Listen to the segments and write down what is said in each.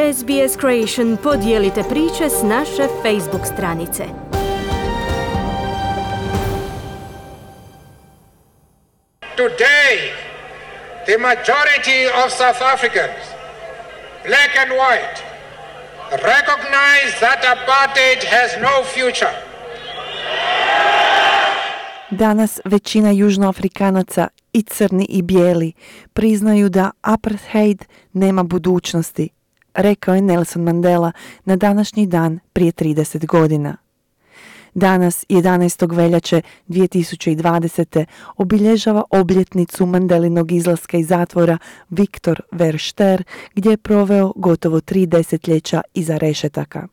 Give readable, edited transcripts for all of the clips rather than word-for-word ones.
SBS Creation podijelite priče s naše Facebook stranice. Today, the majority of South Africans, black and white, recognize that apartheid has no future. Danas većina južnoafrikanaca, i crni i bijeli, priznaju da apartheid nema budućnosti, rekao je Nelson Mandela na današnji dan prije 30 godina. Danas, 11. veljače 2020. obilježava obljetnicu Mandelinog izlaska iz zatvora Victor Verster, gdje je proveo gotovo 3 desetljeća iza rešetaka.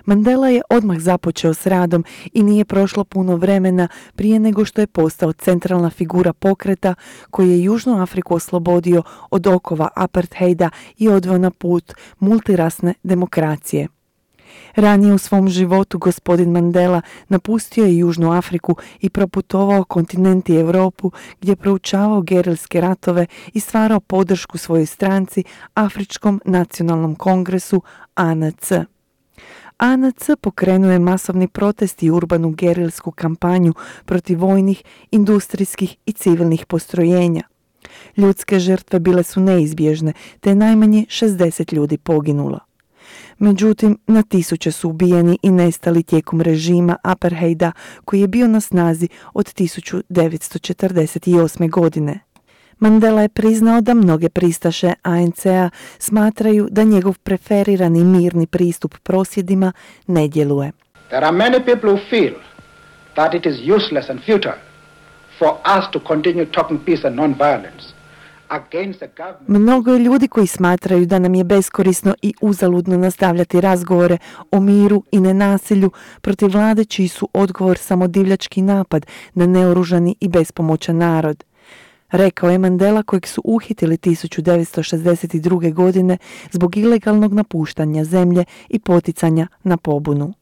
Mandela je odmah započeo s radom i nije prošlo puno vremena prije nego što je postao centralna figura pokreta koji je Južnu Afriku oslobodio od okova apartheida i odveo na put multirasne demokracije. Ranije u svom životu gospodin Mandela napustio je Južnu Afriku i proputovao kontinent i Europu gdje je proučavao gerilske ratove i stvarao podršku svojoj stranci Afričkom nacionalnom kongresu ANC. ANC pokrenuo je masovni protest i urbanu gerilsku kampanju protiv vojnih, industrijskih i civilnih postrojenja. Ljudske žrtve bile su neizbježne, te je najmanje 60 ljudi poginulo. Međutim, na tisuće su ubijeni i nestali tijekom režima apartheida koji je bio na snazi od 1948. godine. Mandela je priznao da mnoge pristaše ANC-a smatraju da njegov preferirani mirni pristup prosvjedima ne djeluje. There are many people who feel that it is useless and futile for us to continue talking peace and non-violence against the government. Mnogo je ljudi koji smatraju da nam je beskorisno i uzaludno nastavljati razgovore o miru i nenasilju protiv vlade čiji su odgovor samo divljački napad na neoružani i bespomoćan narod, rekao je Mandela kojeg su uhitili 1962. godine zbog ilegalnog napuštanja zemlje i poticanja na pobunu.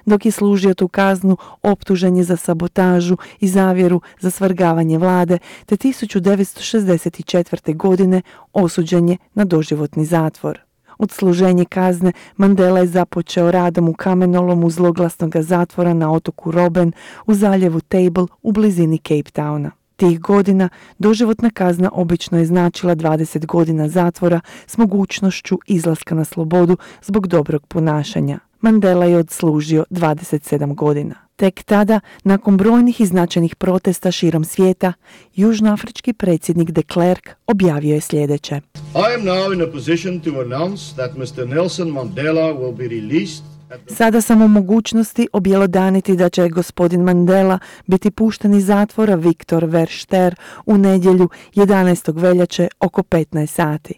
Dok je služio tu kaznu, optužen je za sabotažu i zavjeru za svrgavanje vlade, te 1964. godine osuđen je na doživotni zatvor. Odsluženje kazne Mandela je započeo radom u kamenolomu zloglasnog zatvora na otoku Robben u zaljevu Table u blizini Cape Towna. Tih godina doživotna kazna obično je značila 20 godina zatvora s mogućnošću izlaska na slobodu zbog dobrog ponašanja. Mandela je odslužio 27 godina. Tek tada, nakon brojnih i značajnih protesta širom svijeta, južnoafrički predsjednik de Klerk objavio je sljedeće. I am now in a position to announce that Mr. Nelson Mandela will be released. Sada sam u mogućnosti objelodaniti da će gospodin Mandela biti pušten iz zatvora Victor Verster u nedjelju 11. veljače oko 15 sati.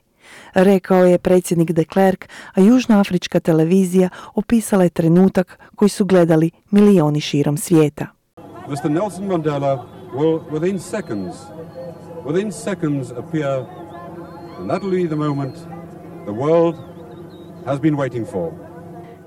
Rekao je predsjednik de Klerk, a južnoafrička televizija opisala je trenutak koji su gledali milioni širom svijeta. Mr. Nelson Mandela will within seconds appear, and that will be the moment the world has been waiting for.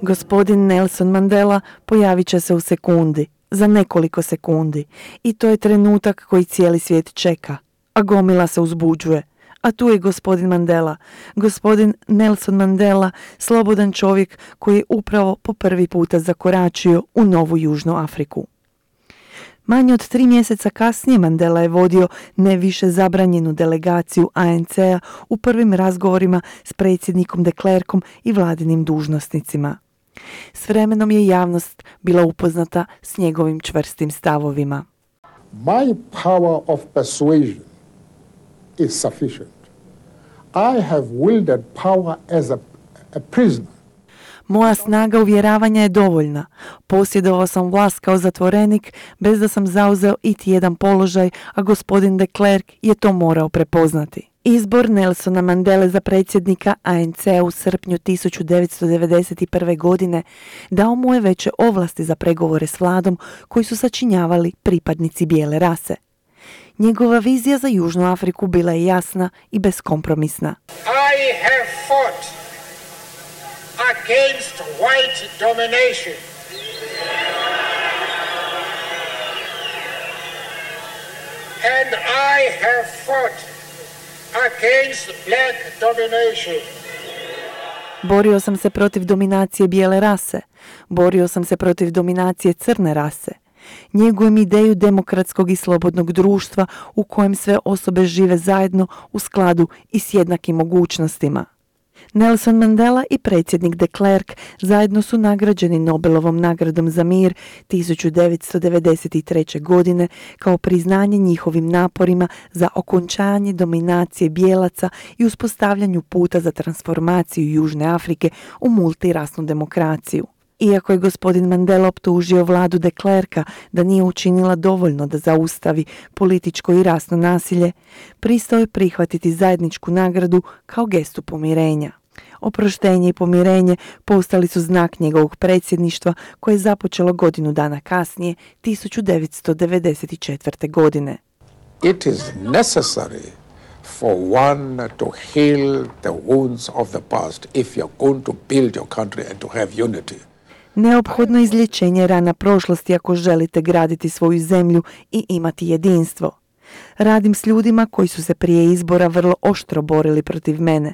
Gospodin Nelson Mandela pojavit će se u sekundi, za nekoliko sekundi, i to je trenutak koji cijeli svijet čeka, a gomila se uzbuđuje. A tu je gospodin Mandela, gospodin Nelson Mandela, slobodan čovjek koji je upravo po prvi puta zakoračio u novu Južnu Afriku. Manje od 3 mjeseca kasnije Mandela je vodio ne više zabranjenu delegaciju ANC-a u prvim razgovorima s predsjednikom de Klerkom i vladinim dužnosnicima. S vremenom je javnost bila upoznata s njegovim čvrstim stavovima. My power of persuasion is sufficient. I have wielded power as a prisoner. Moja snaga uvjeravanja je dovoljna. Posjedovao sam vlast kao zatvorenik bez da sam zauzeo iti jedan položaj, a gospodin de Klerk je to morao prepoznati. Izbor Nelsona Mandele za predsjednika ANC-a u srpnju 1991. godine dao mu je veće ovlasti za pregovore s vladom koji su sačinjavali pripadnici bijele rase. Njegova vizija za Južnu Afriku bila je jasna i beskompromisna. I have fought against white domination. And I have fought against black domination. Borio sam se protiv dominacije bijele rase. Borio sam se protiv dominacije crne rase. Njegujem ideju demokratskog i slobodnog društva u kojem sve osobe žive zajedno u skladu i s jednakim mogućnostima. Nelson Mandela i predsjednik de Klerk zajedno su nagrađeni Nobelovom nagradom za mir 1993. godine kao priznanje njihovim naporima za okončanje dominacije bijelaca i uspostavljanju puta za transformaciju Južne Afrike u multirasnu demokraciju. Iako je gospodin Mandela optužio vladu de Klerka da nije učinila dovoljno da zaustavi političko i rasno nasilje, pristao je prihvatiti zajedničku nagradu kao gestu pomirenja. Oproštenje i pomirenje postali su znak njegovog predsjedništva koje je započelo godinu dana kasnije, 1994. godine. It is necessary for one to heal the wounds of the past if you're going to build your country and to have unity. Neophodno izlječenje rana prošlosti ako želite graditi svoju zemlju i imati jedinstvo. Radim s ljudima koji su se prije izbora vrlo oštro borili protiv mene,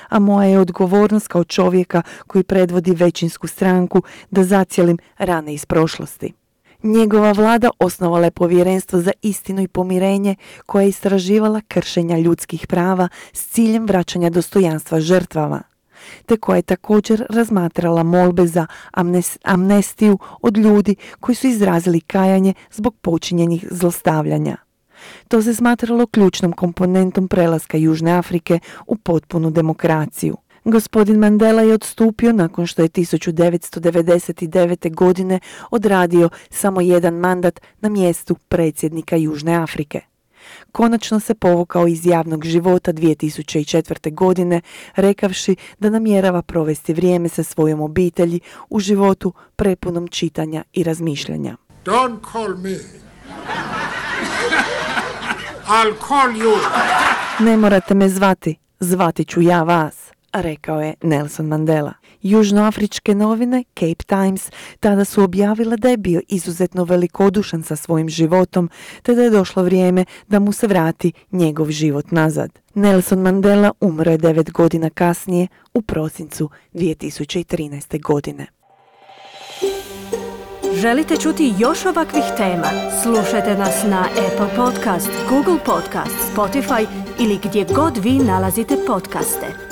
a moja je odgovornost kao čovjeka koji predvodi većinsku stranku da zacijelim rane iz prošlosti. Njegova vlada osnovala je povjerenstvo za istinu i pomirenje koje je istraživala kršenja ljudskih prava s ciljem vraćanja dostojanstva žrtvama, te koja je također razmatrala molbe za amnestiju od ljudi koji su izrazili kajanje zbog počinjenih zlostavljanja. To se smatralo ključnom komponentom prelaska Južne Afrike u potpunu demokraciju. Gospodin Mandela je odstupio nakon što je 1999. godine odradio samo jedan mandat na mjestu predsjednika Južne Afrike. Konačno se povukao iz javnog života 2004. godine, rekavši da namjerava provesti vrijeme sa svojom obitelji u životu prepunom čitanja i razmišljanja. Don't call me. I'll call you. Ne morate me zvati, zvati ću ja vas, rekao je Nelson Mandela. Južnoafričke novine Cape Times tada su objavile da je bio izuzetno velikodušan sa svojim životom, te da je došlo vrijeme da mu se vrati njegov život nazad. Nelson Mandela umro je 9 godina kasnije, u prosincu 2013. godine. Želite čuti još ovakvih tema? Slušajte nas na Apple Podcast, Google Podcast, Spotify ili gdje god vi nalazite podcaste.